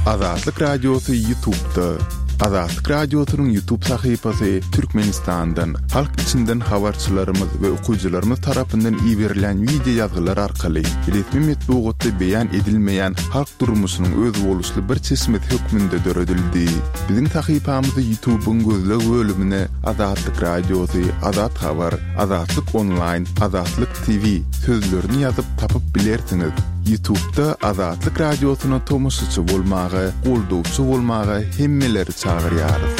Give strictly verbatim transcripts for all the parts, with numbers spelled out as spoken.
Azatlyk Radiosy YouTube'da. Azatlyk Radiosynyň YouTube sahypasy Türkmenistandan, halk içinden habarçylarymyz we okyjylarymyz tarapyndan iberilen wideo ýazgylar arkaly resmi metbugatda beýan edilmeýän halk durmuşynyň özboluşly bir çeşmesi hökmünde döredildi. Biziň sahypamyzy YouTube'yň gözleg bölümine Azatlyk Radiosy, Azat Habar, Azatlyk Online, Azatlyk T V sözlerini ýazyp tapyp bilersiňiz. YouTube'da Azatlyk Radiosyna tomaşaçy bolmaga, goldawçy bolmaga hemmeleri çagyrýarys.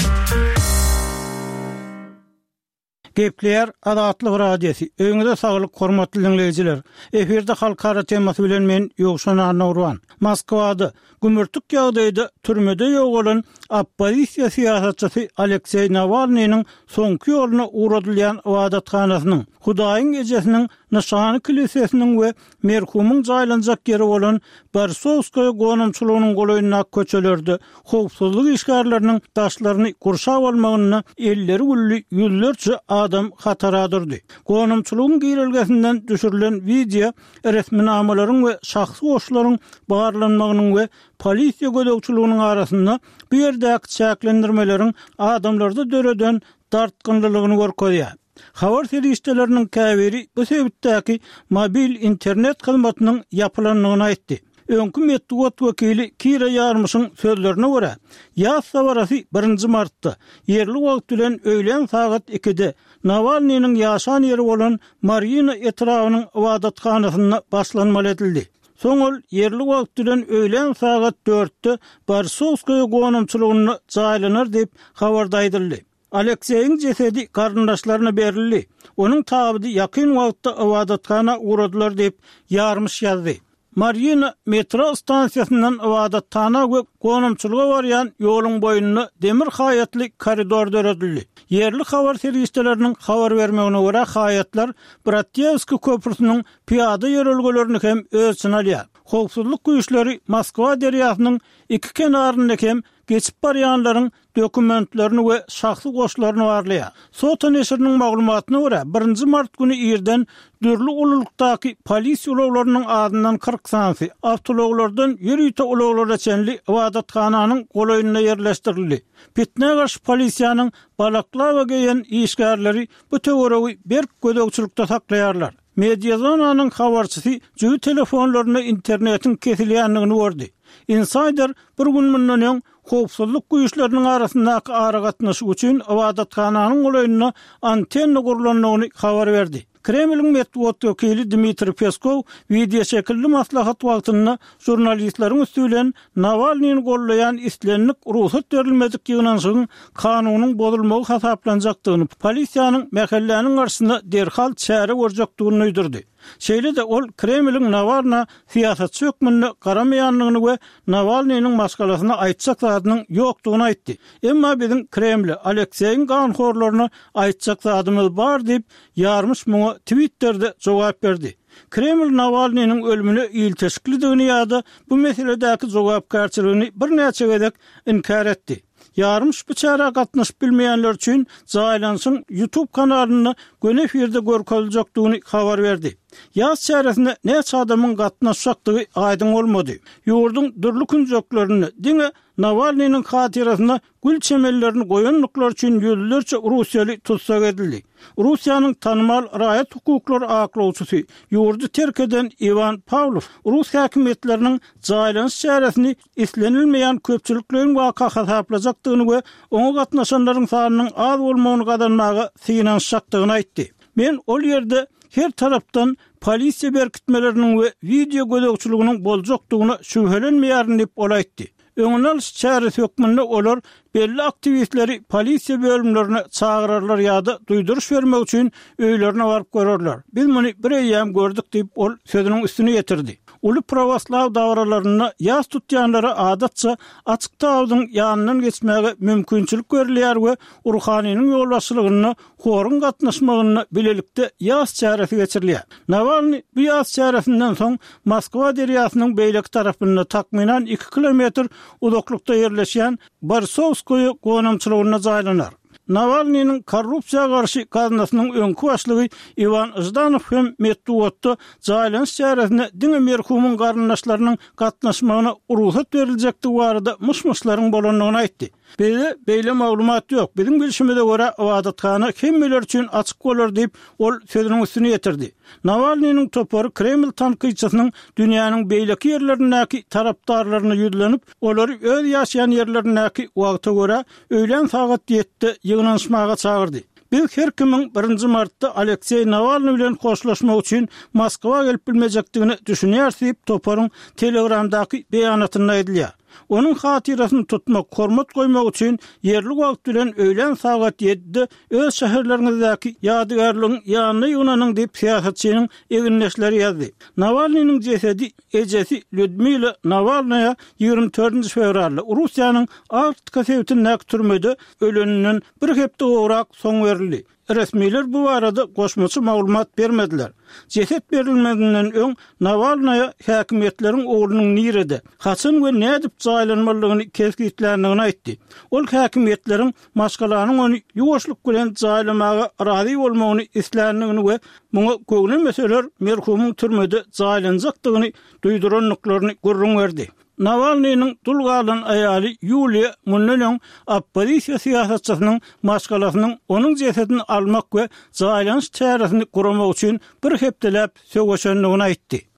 Gepleýär Azatlyk Radiosy. Öýüňize saglyk, hormatly dinleýjiler. Efirde halkara temasy bilen men Ýowşan Annagurban. Moskwada gümürtik ýagdaýda türmede ýogalan oppozisiýa syýasatçysy Alekseý Nawalnynyň soňky ýoluna ugradylýan ybadathanasynyň, Hudaýyň ejesiniň Nyşany kilisesiniň we merhumyň jaýlanjak ýeri bolan Borisowskaýa gonamçylygynyň golaýyndaky köçelerde howpsuzlyk işgärleriniň daşlaryny gurşap almagynda elleri gülli ýüzlerçe adam hatara durdy. Gonamçylygyň girelgesinden düşürilen wideo resminamalaryň we şahsy goşlaryň barlanmagynyň we polisiýa gözegçiliginiň arasynda bu ýerdäki çäklendirmeleriň adamlarda döreden dartgynlylygyny görkezýär. Habar serişdeleriniň käbiri bu sebitdäki mobil internet hyzmatynyň ýapylandygyny aýtdy. Öňki metbugat wekili Kira Ýarmyşyň sözlerine görä, ýaz sabarasy birinji martda ýerli wagt bilen öýlän sagat ikide Nawalnynyň ýaşan ýeri bolan Marina etrabynyň ybadathanasynda başlanmaly edildi. Soň ol ýerli wagt bilen öýlän sagat dörtde Borisowskaýa gonamçylygynda jaýlanar diýip habarda aýdyldy. Alekseýiň jesedi garyndaşlaryna berildi. Onuň tabydy ýakyn wagtda ybadathana ugradylar diýip Ýarmyş ýazdy. Marina metro stansiýasyndan ybadathana we gonamçylyga barýan ýoluň boýunda demir haýatly koridor döredildi. Ýerli habar serişdeleriniň habar bermegine görä haýatlar Bratýewski köprüsiniň piýada ýörelgelerini hem öz içine alýar. Howpsuzlyk güýçleri Moskwa derýasynyň iki kenarynda hem geçip barýanlaryň dokumentlerini we şahsy goşlaryny barlaýar. Sota neşiriniň maglumatyna görä, birinji mart güni irden dürli ululykdaky polisiýa ulaglarynyň azyndan kyrk sanysy, awtoulaglardan ýörite ulaglara çenli ybadathananyň golaýynda ýerleşdirildi. Pitne garşy polisiýanyň balaklava geýen işgärleri bu töweregi berk gözegçilikde saklaýarlar. Mediazonanyň habarçysy jübi telefonlarynda internetiň kesilýändigini gördi. Insider bir gün mundan öň howpsuzlyk güýçleriniň arasyndaky aragatnaşyk üçin ybadathananyň golaýynda antenna gurlandygyny habar berdi. Kremliň metbugat wekili Dmitriý Peskow wideo şekilli maslahat wagtynda žurnalistleriň üsti bilen Nawalnyny gollaýan islendik rugsat berilmedik ýygnanyşygyň kanunyň bozulmagy hasaplanjakdygyny, polisiýanyň mähelläniň garşysynda derhal çäre görjekdigini duýdurdy. Şeýle-de ol Kremliň Nawalna syýasatçy hökmünde garamaýandygyny we Nawalnynyň maşgalasyna aýtjak zadynyň ýokdugyny aýtdy. Emma biziň Kremle, Alekseýiň ganhorlaryna aýtjak zadymyz bar diýip, Ýarmyş muňa Twitterде jogap berdi. Kreml Nawalnynyň ölümine ilteşiklidigini ýa-da bu meseledäki jogapkärçiligini birnäçe gezek inkär etdi. Ýarmyş bu çärä gatnaşyp bilmeýänler üçin jaýlanyşyň YouTube kanalynda göni efirde görkeziljekdigini habar berdi. Ýaz çäresine näçe adamyň gatnaşjakdygy aýdyň bolmady. Ýurduň dürli künjeklerinde diňe Nawalnynyň hatyrasyna gül çemellerini goýanlyklar üçin ýüzlerçe Russiýaly tutsak edildi. Russiýanyň tanymal raýat hukuklary aklawçysy, ýurdy terk eden Iwan Pawlow Rus häkimiýetleriniň jaýlanyş çäresini islenilmeýän köpçülikleýin waka hasaplajakdygyny we oňa gatnaşanlaryň sanynyň az bolmagyny gazanmaga synanyşjakdygyny aýtdy. Men ol ýerde her tarapdan polisiýa berkitmeleriniň we wideo gözegçiliginiň boljakdygyna şübhelenmeýärin diýip ol aýtdy. Öňüni alyş çäresi hökmünde olar belli aktiwistleri polisiýa bölümlerine çagyrarlar ýa-da duýduryş bermek üçin öýlerine baryp görerler. Biz muny bir eýýäm gördük diýip ol sözüniň üstüne ýetirdi. Uly pravoslav dabaralarynda ýas tutýanlara adatça açyk tabydyň ýanyndan geçmäge mümkinçilik berilýär we ruhanynyň ýolbaşçylygynda horuň gatnaşmagynda bilelikde ýas çäresi geçirilýär. Nawalny bu ýas çäresinden soň Moskwa derýasynyň beýleki tarapynda takmynan iki kilometr uzaklykda ýerleşýän Borisowskoýa gonamçylygynda jaýlanar. Nawalnynyň korrupsiýa garşy gaznasynyň öňki başlygy Iwan Ždanow hem metbugatda jaýlanyş çäresine diňe merhumyň garyndaşlarynyň gatnaşmagyna rugsat beriljekdigi barada myş-myşlaryň bolandygyny aýtdy. Bizde beýle maglumat ýok. Biziň bilşimize görä, ybadathana hemmeler üçin açyk bolar diýip, ol sözüniň üstüni ýetirdi. Nawalnynyň topary Kreml tankytçysynyň dünýäniň beýleki ýerlerindäki tarapdarlaryna ýüzlenip, olary öz ýaşaýan ýerlerindäki wagta görä öýlän sagat ýedide ýygnanyşmaga çagyrdy. Biz her kimiň birinji martda Alekseý Nawalnyý bilen hoşlaşmak üçin Moskwa gelip bilmejekdigine düşünýäris diýip, toparyň Telegramdaky beýanatynda aýdylýar. Onuň hatyrasyny tutmak, hormat goýmak üçin ýerli wagt bilen öýlän sagat ýedide öz şäherleriňizdäki ýadygärligiň ýanyna ýygnanyň diýip, syýasatçynyň egindeşleri ýazdy. Nawalnynyň jesedi ejesi Lýudmila Nawalnaýa ýigrimi dördünji fewralda Russiýanyň Arktika sebitindäki türmede öleninden bir hepde gowrak soň berildi. Resmiler bu barada goşmaça maglumat bermediler. Jeset berilmezinden öň Nawalnaýa häkimiýetleriň oglunyň nirede, haçan we nädip jaýlanmalydygyny kesgitländigini aýtdy. Ol häkimiýetleriň maşgalanyň ony ýuwaşlyk bilen jaýlamaga razy bolmagyny isländigini we muňa göwnemeseler merhumyň türmede jaýlanjakdygyny duýdurandyklaryny gürrüň berdi. Nawalnynyň dul galan aýaly Ýuliýa mundan öň oppozisiýa syýasatçysynyň maşgalasynyň onuň jesedini almak we jaýlanyş çäresini guramak üçin bir hepdeläp söweşendigini aýtdy.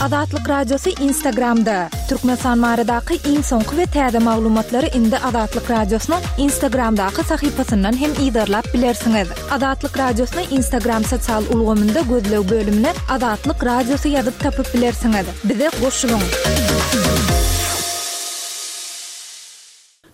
Azatlyk Radiosy Instagramda, Türkmenistan baradaky iň soňky we täze maglumatlary indi Azatlyk Radiosynyň Instagramdaky sahypasyndan hem yzarlap bilersiňiz. Azatlyk Radiosyny Instagram sosial ulgamynda gözleg bölümine Azatlyk Radiosy ýazyp tapyp bilersiňiz. Bize goşulyň!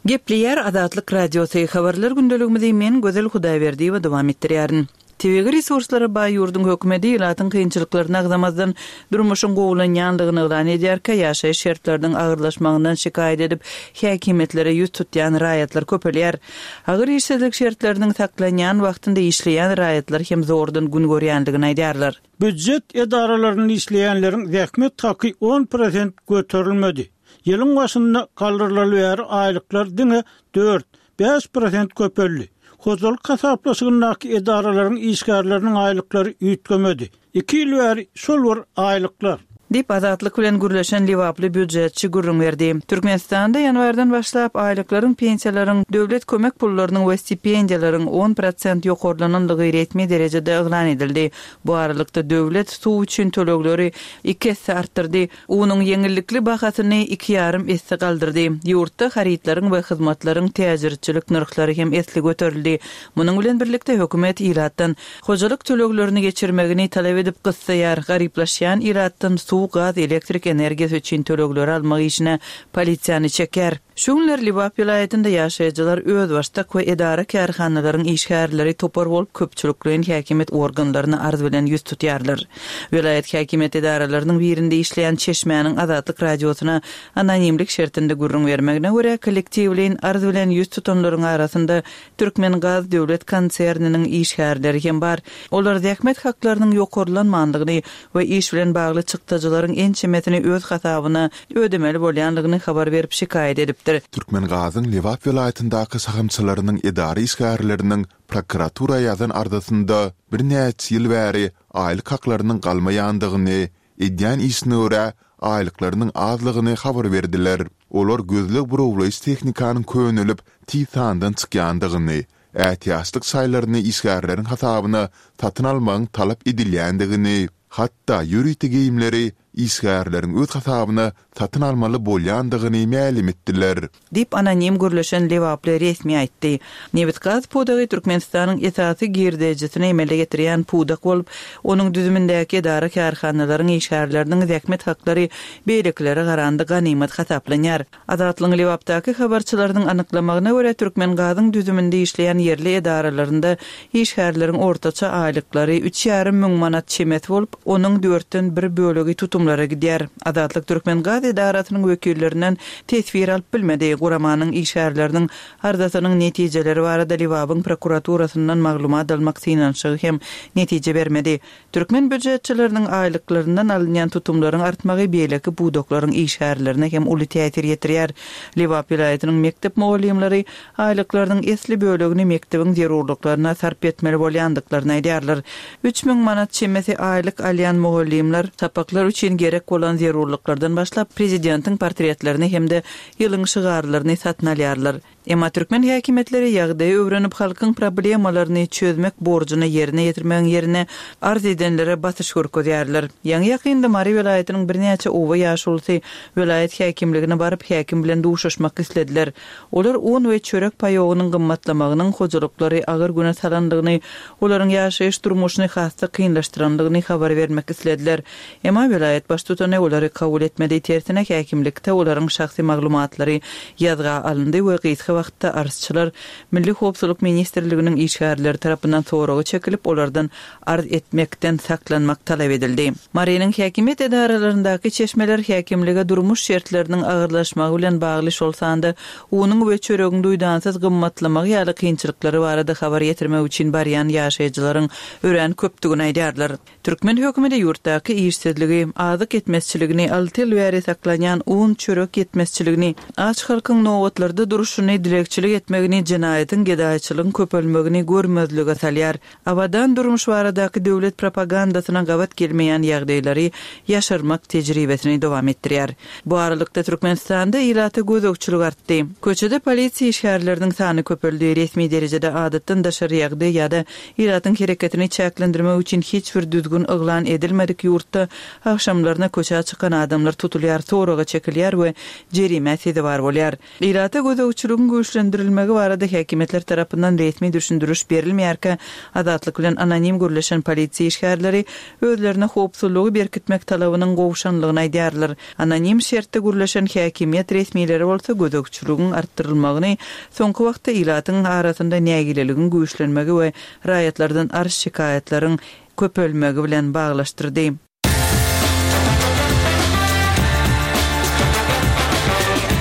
Gepleýär Azatlyk Radiosy, Habarlar gündeligimizi men Gözel Hudaýberdiýewa dowam etdirýärin. Tebigy resurslara baý ýurduň hökümeti ilatyň kynçylyklaryny agzamazdan, durmuşyň gowulanýandygyny yglan edýärkä, ýaşaýyş şertleriniň agyrlaşmagyndan şikaýat edip, häkimiýetlere ýüz tutýan raýatlar köpelýär. Agyr işsizlik şertleriniň saklanýan wagtynda işleýän raýatlar hem zordan gün görýändigini aýdýarlar. Býujet edaralarynda işleýänleriň zähmet haky on prosent göterilmedi. Ýylyň başynda galdyrylaly bäri aýlyklar diňe dört, bäş prosent köpeldi. Hojalyk hasaplaşygyndaky edaralaryň işgärleriniň aýlyklary üýtgemedi. Iki ýyl bäri şol bir aýlyklar. Diýip, Azatlyk bilen gürleşen lebaply býujetçi gürrüň berdi. Türkmenistanda ýanwardan başlap aýlyklaryň, pensiýalaryň, döwlet kömek pullarynyň we stipendiýalaryň on prosent ýokarlanandygy resmi derejede yglan edildi. Bu aralykda döwlet suw üçin tölegleri iki esse artdyrdy, unuň ýeňillikli bahasyny iki ýarym esse galdyrdy. Ýurtda harytlaryň we hyzmatlaryň täjirçilik nyrhlary hem esli göterildi. Munuň bilen birlikde hökümet ilatdan hojalyk töleglerini geçirmegini talap edip gyssaýar, garyplaşýan ilatdan suw, gaz, elektrik energiýasy üçin tölegleri almak işine polisiýany çekýär. Şu günler Lebap welaýatynda ýaşaýjylar özbaşdak we edara-kärhanalaryň işgärleri topar bolup köpçülikleýin häkimiýet organlaryna arz bilen ýüz tutýarlar. Welaýat häkimiýet edaralarynyň birinde işleýän çeşmäniň Azatlyk Radiosyna anonimlik şertinde gürrüň bermegine görä, kollektiwleýin arz bilen ýüz tutanlaryň arasynda Türkmengaz döwlet konserniniň işgärleri hem bar. Olar zähmet haklarynyň ýokarlanmandygyny we iş bilen bagly çykdajylaryň ençemesini öz hasabyna ödemeli bolýandygyny habar berip şikaýat edipdir. Türkmengazyň Lebap welaýatyndaky şahamçalarynyň edara işgärleriniň prokuratura ýazan arzasynda birnäçe ýyl bäri aýlyk haklarynyň galmaýandygyny, edýän işine görä aýlyklarynyň azlygyny habar berdiler. Olar gözleg-burawlaýyş tehnikanyň könelip, tiz sandan çykýandygyny, ätiýaçlyk şaýlaryny işgärleriň hasabyna satyn almagyň talap edilýändigini, hatda ýörite geýimleri işgärleriň öz hasabyna satyn almaly bolýandygyny mälim etdiler. Diýip, anonim gürleşen lebaply resmi aýtdy. Nebitgaz pudagy Türkmenistanyň esasy girdejisini emele getirýän pudak bolup, onuň düzümindäki edara-kärhanalaryň işgärleriniň zähmet haklary beýlekilere garanda ganymat hasaplanýar. Azatlygyň Lebapdaky habarçylarynyň anyklamagyna görä, Türkmengazyň düzüminde işleýän ýerli edaralarynda işgärleriň ortaça aýlyklary üç ýarym müň manat çemesi bolup, onuň dörtden bir bölegi tutumly tutumlara gidýär. Azatlyk Türkmengaz edarasynyň wekillerinden teswir alyp bilmedi. Guramanyň işgärleriniň arzasynyň netijeleri barada Lebabyň prokuraturasyndan maglumat almak synanyşygy hem netije bermedi. Türkmen býujetçileriniň aýlyklaryndan alynýan tutumlaryň artmagy beýleki pudaklaryň işgärlerine hem uly täsir ýetirýär. Lebap welaýatynyň mekdep mugallymlary aýlyklarynyň esli bölegini mekdebiň zerurlyklaryna sarp etmeli bolýandyklaryny aýdýarlar. Üç müň manat çemesi aýlyk alýan mugallymlar sapaklar üçin gerek bolan zerurlyklardan başlap prezidentiň portretlerini hem-de ýylyň şygarlaryny satyn alýarlar. Emma türkmen häkimiýetleri ýagdaýy öwrenip halkyň problemalaryny çözmek borjuny ýerine ýetirmegiň ýerine arz edenlere basyş görkezýärler. Ýaňy ýakynda Mary welaýatynyň birnäçe oba ýaşulusy welaýat häkimligine baryp häkim bilen duşuşmak islediler. Olar un we çörek paýogynyň gymmatlamagynyň hojalyklary agyr güne salandygyny, olaryň ýaşaýyş durmuşyny has-da kynlaşdyrandygyny habar bermek islediler. Emma welaýat baştutany olary kabul etmedi. Tersine häkimlikde olaryň şahsy maglumatlary ýazga alyndy we gysga wagtda arzçylar Milli Howpsuzlyk Ministrliginiň işgärleri tarapyndan soragy çekilip, olardan arz etmekden saklanmak talap edildi. Marynyň häkimiýet edaralaryndaky çeşmeler häkimlige durmuş şertleriniň agyrlaşmagy bilen bagly şol sanda unuň we çöregiň duýdansyz gymmatlamagy ýaly kynçylyklary barada habar ýetirmek üçin barýan ýaşaýjylaryň örän köpdügini aýdýarlar. Türkmen hökümeti ýurtdaky işsizligi, azyk ýetmezçiligini, alty ýyl bäri saklanýan un çörek ýetmezçiligini, aç halkyň nobatlarda duruşyny, dilegçilik etmegini, jenaýatyň gedaýçylygyň köpelmegini görmezlige salýar. Abadan durmuş baradaky döwlet propagandasyna gabat gelmeýän ýagdaýlary ýaşarmak tejribesini dowam etdirýär. Bu aralykda Türkmenistanda ilata gözegçilik artdy. Köçede polisiýa işgärleriniň sany köpeldi. Resmi derejede adatdan daşary ýagdaý ýa-da ilatyň hereketini çäklendirmek üçin hiç bir düzgün yglan edilmedik ýurtda agşamlaryna köçä çykan adamlar tutulýar, soraga çekilýär we jerime sezewar bolýar. Ilata gözegçiligiň güýçlendirilmegi barada häkimiýetler tarapyndan resmi düşündiriş berilmeýärkä, Azatlyk bilen anonim gürleşen polisiýa işgärleri özlerine howpsuzlygy berkitmek talabynyň gowşanlygyny aýdýarlar. Anonim şertde gürleşen häkimiýet resmileri bolsa gözegçiligiň artdyrylmagyny soňky wagtda ilatyň arasynda nägileligiň güýçlenmegi we raýatlardan arz şikaýatlaryň köpelmegi bilen baglaşdyrdy.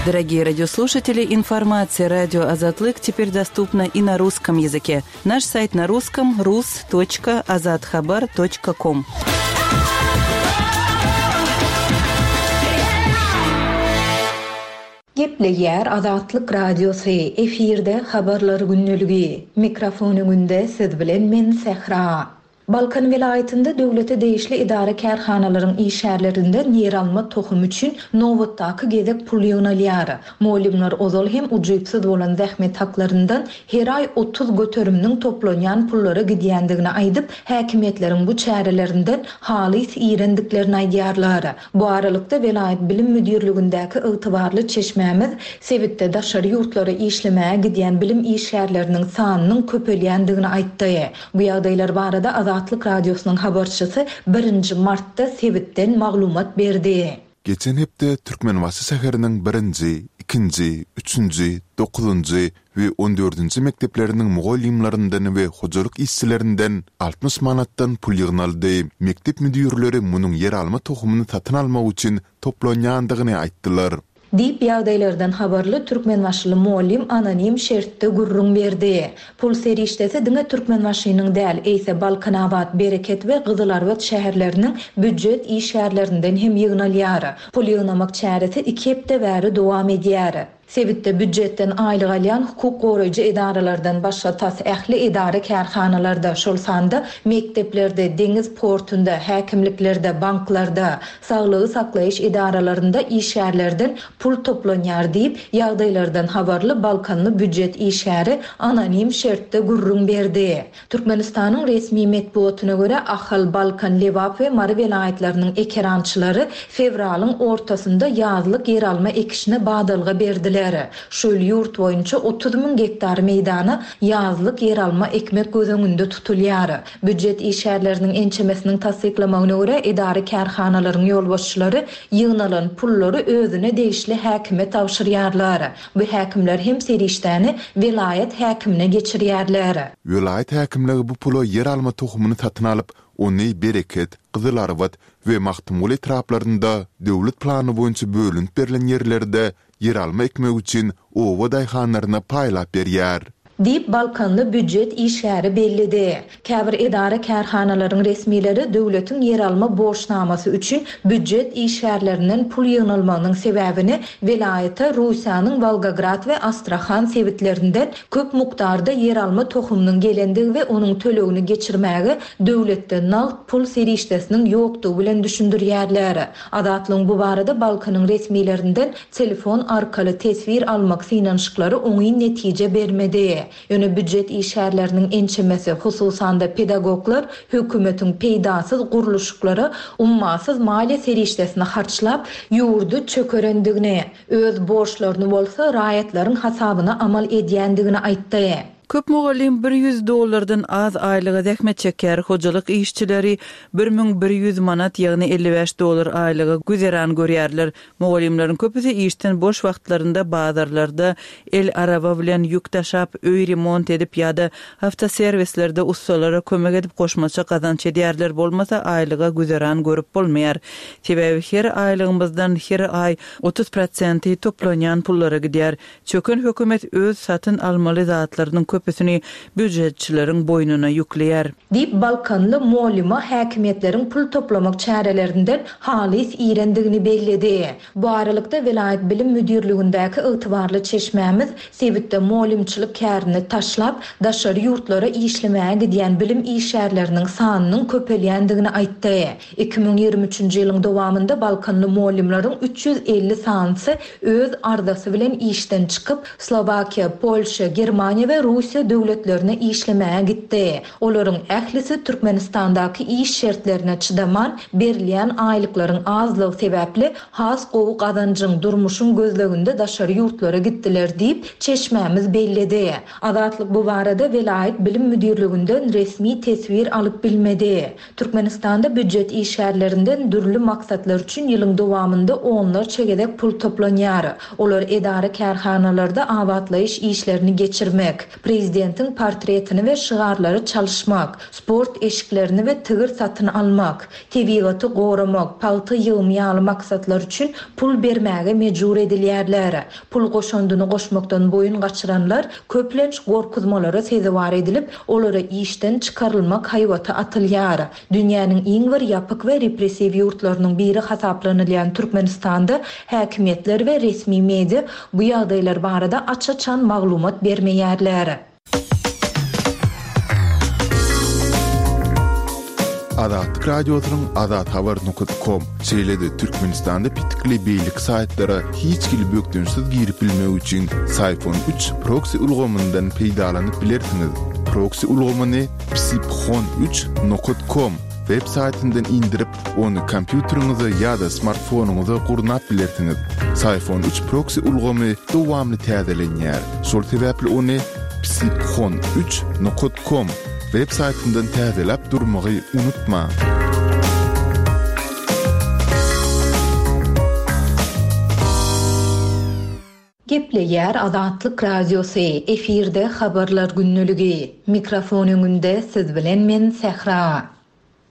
Дорогие радиослушатели, информация радио Азатлык теперь доступна и на русском языке. Наш сайт на русском rus точка azathabar точка ком. Gepleýär Azatlyk Radiosy, efirde habarlar günlügi. Mikrofon öňünde siz bilen men Sähra. Balkan welaýatynda döwlete degişli idara kärhanalaryň işgärlerinden ýer alma tohum üçin nobatdaky gezek pul ýygnalýar. Mugallymlar ozal hem ujypsyz bolan zähmet haklaryndan her aý otuz göteriminiň toplanýan pullara gidýändigini aýdyp, häkimiýetleriň bu çärelerinden halys iýrendiklerini aýdýarlar. Bu aralykda welaýat bilim müdirligindäki ygtybarly çeşmämiz sebitde daşary ýurtlara işlemäge gidýän bilim işgärleriniň sanynyň köpelýändigini aýtdy. Bu ýagdaýlar barada Azatlyk Radiosynyň habarçysy birinji martda sebitden maglumat berdi. Geçen hepde Türkmenbaşy şäheriniň birinji, ikinji, üçünji, dokuzynjy we on dördünji mekdepleriniň mugallymlaryndan we hojalyk işçilerinden altmyş manatdan pul ýygnaldy. Mekdep müdirleri munuň ýer alma tohumyny satyn almak üçin toplanýandygyny aýtdylar. Diýip ýagdaýlardan habarly Türkmenbaşyly mugallym anonim şertde gürrüň berdi. Pul serişdesi diňe Türkmenbaşynyň däl, eýse Balkanabat, Bereket we Gyzylarbat şäherleriniň býujet işgärlerinden hem ýygnalýar. Pul ýygnamak çäresi iki hepde bäri dowam edýär. Sebitde býujetden aýlyk alýan hukuk goraýjy edaralardan başga tas ähli edara kärhanalarda, şol sanda mekdeplerde, deňiz portunda, häkimliklerde, banklarda, saglygy saklaýyş edaralarynda işgärlerden pul toplanýar diýip, ýagdaýlardan habarly Balkanly býujet işgäri anonim şertde gürrüň berdi. Türkmenistanyň resmi metbugatyna görä Ahal, Balkan, Lebap we Mary welaýatlarynyň ekerançylary fewralyň ortasynda ýazlyk ýer alma ekişine badalga berdiler. Şu ýyl ýurt boýunça otuz müň gektar meýdana ýazlyk ýer alma ekmek göz öňünde tutulýar. Býujet işgärleriniň ençemesiniň tassyklamagyna görä edara kärhanalaryň ýolbaşçylary ýygnalan pullary özüne degişli häkime tabşyrýarlar. Bu häkimler hem serişdäni welaýat häkimine geçirýärler. Welaýat häkimligi bu pula ýer alma tohumyny satyn alyp, Ony Bereket, Gyzylarbat we Magtymguly etraplarynda döwlet plany boýunça bölünip berlen ýerlerde ýeralma ekmek üçin oba daýhanlaryna paýlap berýär. Diýip, balkanly býujet işgäri belledi. Käbir edara-kärhanalaryň resmileri döwletiň ýeralma borçnamasy üçin býujet işgärlerinden pul ýygnalmagynyň sebäbini welaýata Russiýanyň Wolgograd we Astrahan sebitlerinden köp mukdarda ýeralma tohumynyň gelendigi we onuň tölegini geçirmäge döwletde nagt pul serişdesiniň ýokdugy bilen düşündirýärler. Azatlygyň bu barada Balkanyň resmilerinden telefon arkaly teswir almak synanyşyklary oňyn netije bermedi. Ýöne býujet işgärleriniň ençemesi, hususan-da, pedagoglar hökümetiň peýdasyz gurluşyklara ummasyz maliýe serişdesini harçlap, ýurdy çökerendigini, öz borçlaryny bolsa raýatlaryň hasabyna amal edýändigini aýtdy. Köp mugallym bir ýüz dollardan az aýlyga zähmet çekýär, hojalyk işçileri bir müň bir ýüz manat, ýagny elli bäş dollar aýlyga güzeran görýärler. Mugallymlaryň köpüsi işden boş wagtlarynda bazarlarda el araba bilen ýük daşap, öý remont edip ýa-da awtoserwislerde ussalara kömek edip goşmaça gazanç edýärler, bolmasa aýlyga güzeran görüp bolmaýar. Sebäbi her aýlygymyzdan her aý otuz prosenti toplanýan pullara gidýär. Çöken hökümet öz satyn almaly zatlarynyň köpüsini býujetçileriň boýnuna ýükleýär. Diýip, balkanly mugallyma häkimiýetleriň pul toplamak çärelerinden halys irendigini belledi. Bu aralykda, welaýat bilim müdirligindäki ygtybarly çeşmämiz sebitde mugallymçylyk kärini taşlap, daşary ýurtlara işlemäge gidýän bilim işgärleriniň sanynyň köpelýändigini aýtdy. Iki müň ýigrimi üçünji ýylyň dowamynda balkanly mugallymlaryň üç ýüz elli sanysy öz arzasy bilen işden çykyp, Slowakiýa, Polşa, Germaniýa we Russiýa döwletlerine işlemäge gitdi. Olaryň ählisi Türkmenistandaky iş şertlerine çydaman, berilýän aýlyklaryň azlygy sebäpli has gowy gazanjyň, durmuşyň gözleginde daşary ýurtlara gitdiler diýip, çeşmämiz belledi. Azatlyk bu barada welaýat bilim müdirliginden resmi teswir alyp bilmedi. Türkmenistanda býujet işgärlerinden dürli maksatlar üçin ýylyň dowamynda onlarça gezek pul toplanýar. Olar edara-kärhanalarda abatlaýyş işlerini geçirmek, prezidentiň portretini we şygarlary çalyşmak, sport eşiklerini we tigir satyn almak, tebigaty goramak, pagta ýygymy ýaly maksatlar üçin pul bermäge mejbur edilýärler. Pul goşandyny goşmakdan boýun gaçyranlar köplenç gorkuzmalara sezewar edilip, olara işden çykarylmak haýbaty atylýar. Dünýäniň iň bir ýapyk we repressiw ýurtlarynyň biri hasaplanylýan Türkmenistanda häkimiýetler we resmi media bu ýagdaýlar barada aç-açan maglumat bermeýärler. Azatlyk Radiosynyň azathabar nokat kom, şeýle-de Türkmenistanda petikli beýleki saýtlara hiç hili bökdençsiz girip bilmek üçin Syphon üç proksi ulgamyndan peýdalanyp bilersiňiz. Proksi ulgamyny psiphon üç nokat kom web saýtyndan indirip, ony kompýuteriňize ýa-da smartfonyňyza gurnap bilersiňiz. Syphon üç proksi ulgamy dowamly täzelenýär. Şol sebäpli ony psiphon üç nokat kom web saýtyndan täzeläp durmagy unutmaň. Gepleýär Azatlyk Radiosy, efirde Habarlar gündeligi. Mikrofon öňünde siz bilen men Sähra.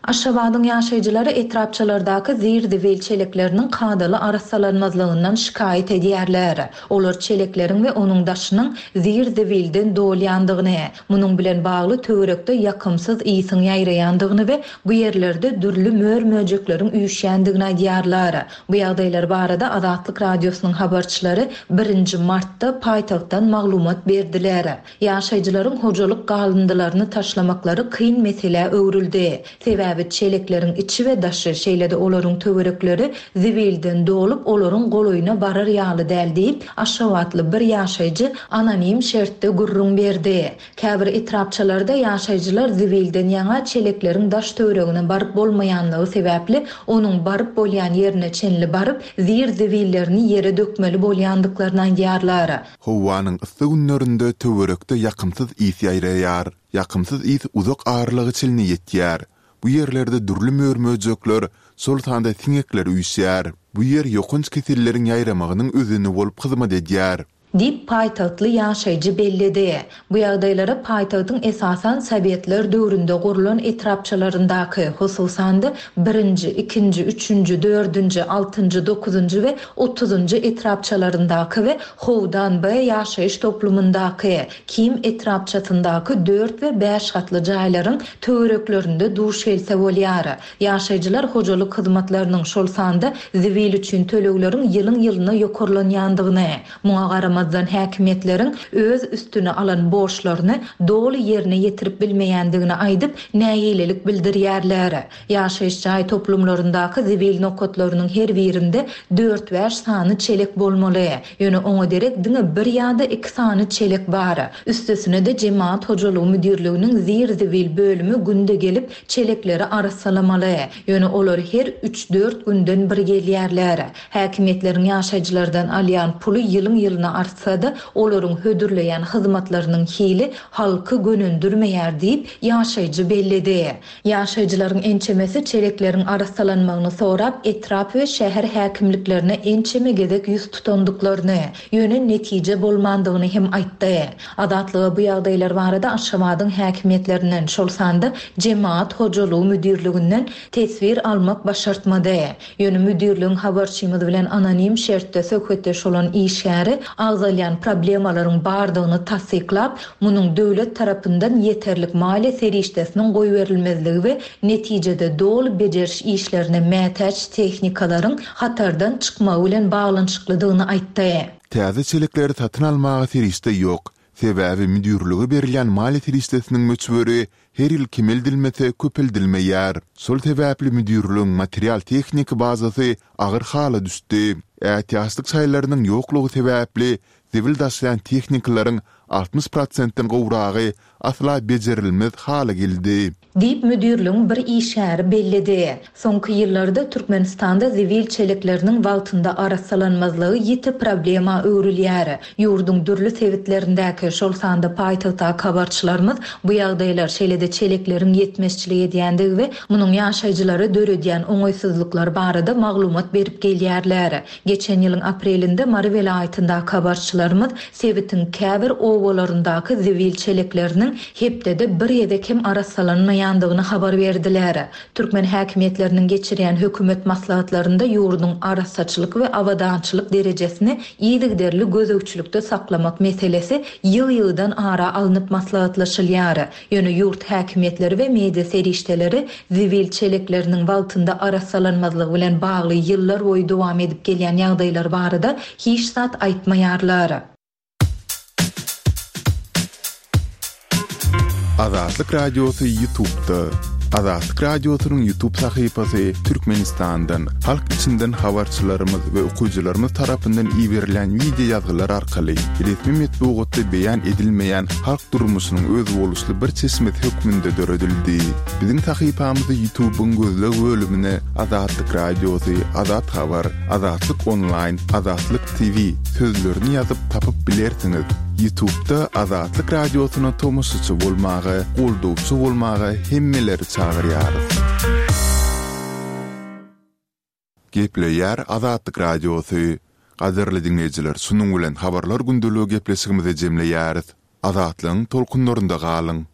Aşgabadyň ýaşaýjylary etrapçalardaky zir-zibil çelekleriniň kadaly arassalanmazlygyndan şikaýat edýärler. Olar çelekleriň we onuň daşynyň zir-zibilden dolýandygyny, munuň bilen bagly töwerekde ýakymsyz ysyň ýaýraýandygyny we bu ýerlerde dürli mör-möjekleriň üýşýändigini aýdýarlar. Bu ýagdaýlar barada Azatlyk Radiosynyň habarçylary birinji martda paýtagtdan maglumat berdiler. Ýaşaýjylaryň hojalyk galyndylaryny taşlamaklary kyn meselä öwrüldi. Sebäbi çelekleriň içi we daşy, şeýle-de olaryň töwerekleri zibilden dolup, olaryň golaýyna barar ýaly däl diýip, aşgabatly bir ýaşaýjy anonim şertde gürrüň berdi. Käbir etrapçalarda ýaşaýjylar zibilden ýaňa çelekleriň daş-töweregine baryp bolmaýanlygy sebäpli, onuň baryp bolýan ýerine çenli baryp, zir-zibillerini ýere dökmeli bolýandyklaryny aýdýarlar. Howanyň yssy günlerinde töwerekde ýakymsyz ys ýaýraýar. Ýakymsyz ys uzak aralyga çenli ýetýär. Bu ýerlerde dürli mör-möjekler, şol sanda siňekler üýşýär. Bu ýer ýokanç keselleriň ýaýramagynyň özeni bolup hyzmat edýär. Diýip, paýtagtly ýaşaýjy belledi. Bu ýagdaýlara paýtagtyň esasan sowetler döwründe gurlan etrapçalaryndaky, hususan-da, birinji, ikinji, üçünji, dördünji, altynjy, dokuzynjy we otuzynjy etrapçalaryndaky we Howdan-B ýaşaýyş toplumyndaky, Kim etrapçasyndaky dört we bäş gatly jaýlaryň töwereklerinde duş gelse bolýar. Ýaşaýjylar hojalyk hyzmatlarynyň, şol sanda zibil üçin tölegleriň ýylyň-ýylyna ýokarlanýandygyny, muňa garamazdan häkimiýetleriň öz üstüne alan borçlaryny doly ýerine ýetirip bilmeýändigini aýdyp, nägilelik bildirýärler. Ýaşaýyş jaý toplumlaryndaky zibil nokatlarynyň her birinde dört-bäş sany çelek bolmaly. Ýöne oňa derek diňe bir ýa-da iki sany çelek bar. Üstesine-de Jemagat hojalygy müdirliginiň zir-zibil bölümi günde gelip, çelekleri arassalamaly. Ýöne olar her üç-dört günden bir gelýärler. Häkimiýetleriň ýaşaýjylardan alýan puly ýylyň-ýylyna artsa-da, olaryň hödürleýän hyzmatlarynyň hili halky gönendirmeýär diýip, ýaşaýjy belledi. Ýaşaýjylaryň ençemesi çelekleriň arassalanmagyny sorap, etrap we şäher häkimliklerine ençeme gezek ýüz tutandyklaryny, ýöne netije bolmandygyny hem aýtdy. Azatlyga bu ýagdaýlar barada Aşgabadyň häkimiýetlerinden, şol sanda Jemagat hojalygy müdirliginden teswir almak başartmady. Ýöne müdirligiň habarçymyz bilen anonim şertde söhbetdeş bolan işgäri agzalýan problemalaryň bardygyny tassyklap, munuň döwlet tarapyndan ýeterlik maliýe serişdesiniň goýberilmezligi we netijede doly bejeriş işlerine mätäç tehnikalaryň hatardan çykmagy bilen baglanyşyklydygyny aýtdy. Täze çelekleri satyn almaga serişde ýok. Sebäbi müdirlige berilýän maliýe serişdesiniň möçberi her ýyl kemeldilmese köpeldilmeýär. Şol sebäpli müdirligiň material-tehniki bazasy agyr hala düşdi. Ätiýaçlyk şaýlarynyň ýoklugy sebäpli zibil daşaýan tehnikalaryň altmyş prosentden gowragy asla bejerilmez hala geldi. Diýip, müdirligiň bir işgäri belledi. Soňky ýyllarda Türkmenistanda zibil çelekleriniň wagtynda arassalanmazlygy ýiti problema öwrülýär. Ýurduň dürli sebitlerindäki, şol sanda paýtagtdaky habarçylarymyz bu ýagdaýlar, şeýle-de çelekleriň ýetmezçilik edýändigi we munuň ýaşaýjylara döredýän oňaýsyzlyklary barada maglumat berip gelýärler. Geçen ýylyň aprelinde Mary welaýatyndaky habarçylarymyz sebitiň käbir obalaryndaky zibil çelekleriniň hepdede bir gezek hem arassalanmaýandygyny habar berdiler. Türkmen häkimiýetleriniň geçirýän hökümet maslahatlarynda ýurduň arassaçylyk we abadançylyk derejesini yzygiderli gözegçilikde saklamak meselesi ýygy-ýygydan ara alnyp maslahatlaşylýar. Ýöne ýurt häkimiýetleri we media serişdeleri zibil çelekleriniň wagtynda arassalanmazlygy bilen bagly ýyllar boýy dowam edip gelýän ýagdaýlar barada hiç zat aýtmaýarlar. Azatlyk Radiosy YouTube'da. Azatlyk Radiosynyň YouTube sahypasy Türkmenistandan, halk içinden habarçylarymyz we okyjylarymyz tarapyndan iberilýän wideo ýazgylar arkaly resmi metbugatda beýan edilmeýän halk durmuşynyň özboluşly bir çeşmesi hökmünde döredildi. Biziň sahypamyzy YouTube'yň gözleg bölümine Azatlyk Radiosy, Azat Habar, Azatlyk Onlaýn, Azatlyk T V sözlerini ýazyp tapyp bilersiňiz. YouTube'da Azatlyk Radiosyna tomaşaçy bolmaga, goldawçy bolmaga hemmeleri çagyrýarys. Gepleýär Azatlyk Radiosy. Gadyrly diňleýjiler, şunuň bilen habarlar gündeligi gepleşigimizi jemleýäris. Azatlygyň tolkunlarynda galyň.